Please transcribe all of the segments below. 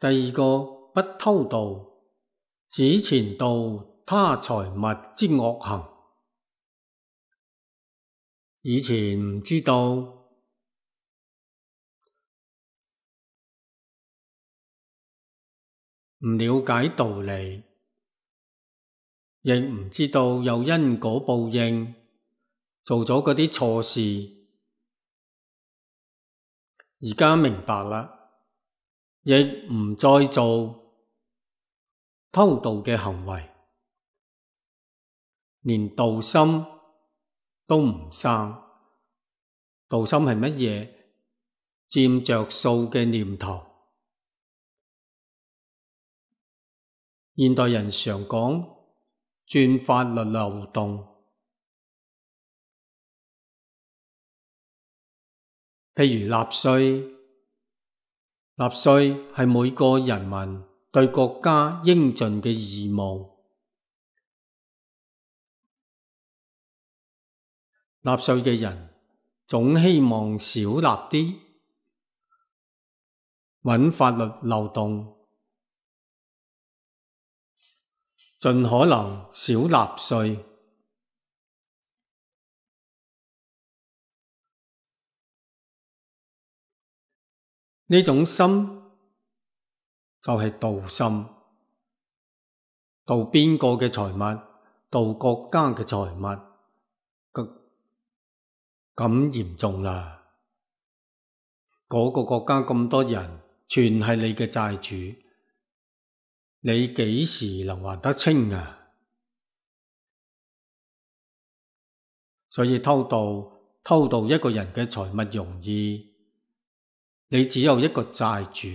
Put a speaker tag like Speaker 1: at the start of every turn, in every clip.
Speaker 1: 第二個不偷盜，指錢盜他財物之惡行。以前唔知道，唔了解道理，亦唔知道有因果報應，做咗嗰啲錯事。而家明白啦，亦唔再做偷盜嘅行為，連盜心都唔生。盜心係乜嘢？佔着數嘅念頭。現代人常講鑽法律漏洞，譬如納稅。納稅係每個人民對國家應盡嘅義務。納稅嘅人總希望少納啲，揾法律漏洞，盡可能少納稅。呢種心就係盜心，盜邊個嘅財物？盜國家嘅財物，咁嚴重啦！嗰個國家咁多人，全係你嘅債主，你幾時能還得清啊？所以偷盜一個人嘅財物容易，你只有一個債主。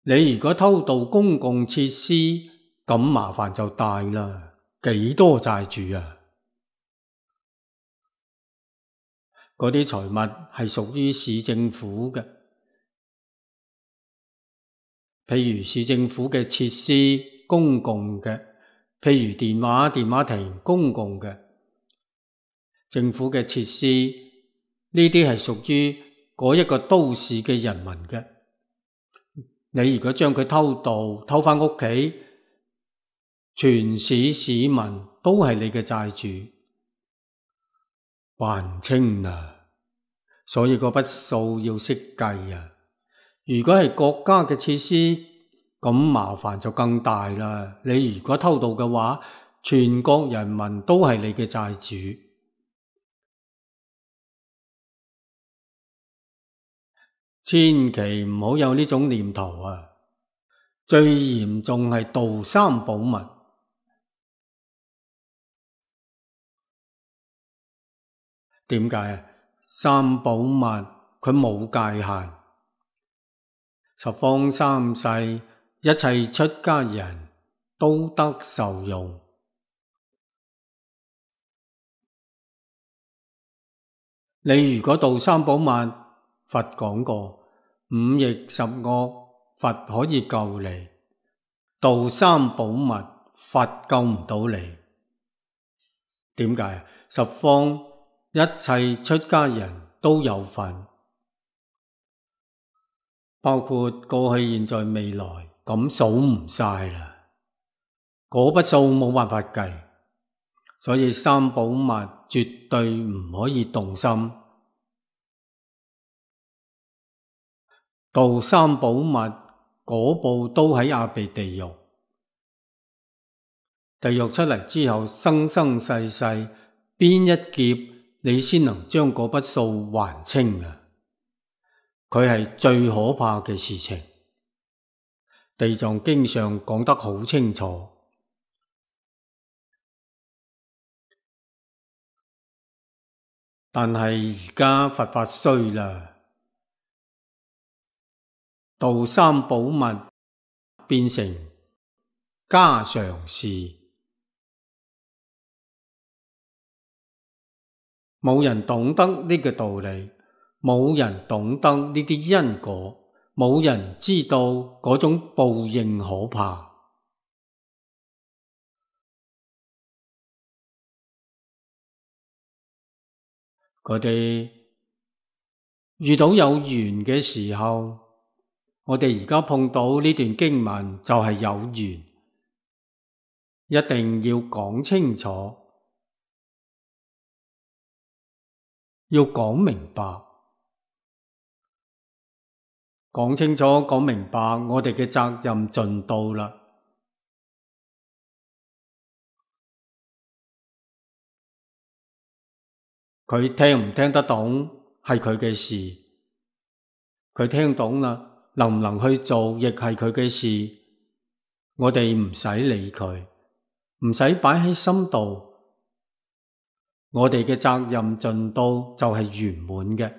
Speaker 1: 你如果偷盜公共設施，咁麻煩就大啦，幾多債主啊？嗰啲財物係屬於市政府嘅，譬如市政府嘅設施公共嘅，譬如電話亭公共嘅，政府嘅設施，呢啲係屬於嗰一個都市嘅人民嘅。你如果將佢偷返屋企，全市市民都係你嘅債主，還唔清啊！所以嗰筆數要識計啊！如果係國家嘅設施，咁麻煩就更大啦。你如果偷盜嘅話，全國人民都係你嘅債主。千祈唔好有呢種念頭啊！最嚴重係盜三寶物。點解啊？三寶物佢冇界限，十方三世一切出家人都得受用。你如果盜三寶物，佛講過五逆十惡，佛可以救你；盜三寶物，佛救唔到你。點解？十方一切出家人都有份，包括過去、現在、未來，咁數唔晒啦。嗰筆數冇辦法計，所以三寶物絕對唔可以動心。盜三寶物嗰步都喺阿鼻地獄，地獄出嚟之後，生生世世邊一劫你先能將嗰筆數還清啊？佢係最可怕嘅事情。地藏經上講得好清楚，但係而家佛法衰啦。盜三寶物變成家常事，冇人懂得呢個道理，冇人懂得呢啲因果，冇人知道嗰種報應可怕。佢哋遇到有緣嘅時候，我哋而家碰到呢段經文就係有緣，一定要講清楚，要講明白，講清楚講明白，我哋嘅責任盡到啦。佢聽唔聽得懂係佢嘅事，佢聽懂啦，能唔能去做亦係佢嘅事，我哋唔使理佢，唔使擺喺心度。我哋嘅責任盡到就係圓滿嘅。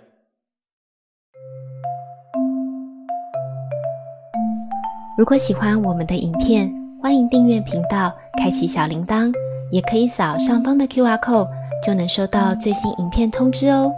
Speaker 2: 如果喜歡我們的影片，歡迎訂閱頻道，開啟小鈴鐺，也可以掃上方的QR code，就能收到最新影片通知哦。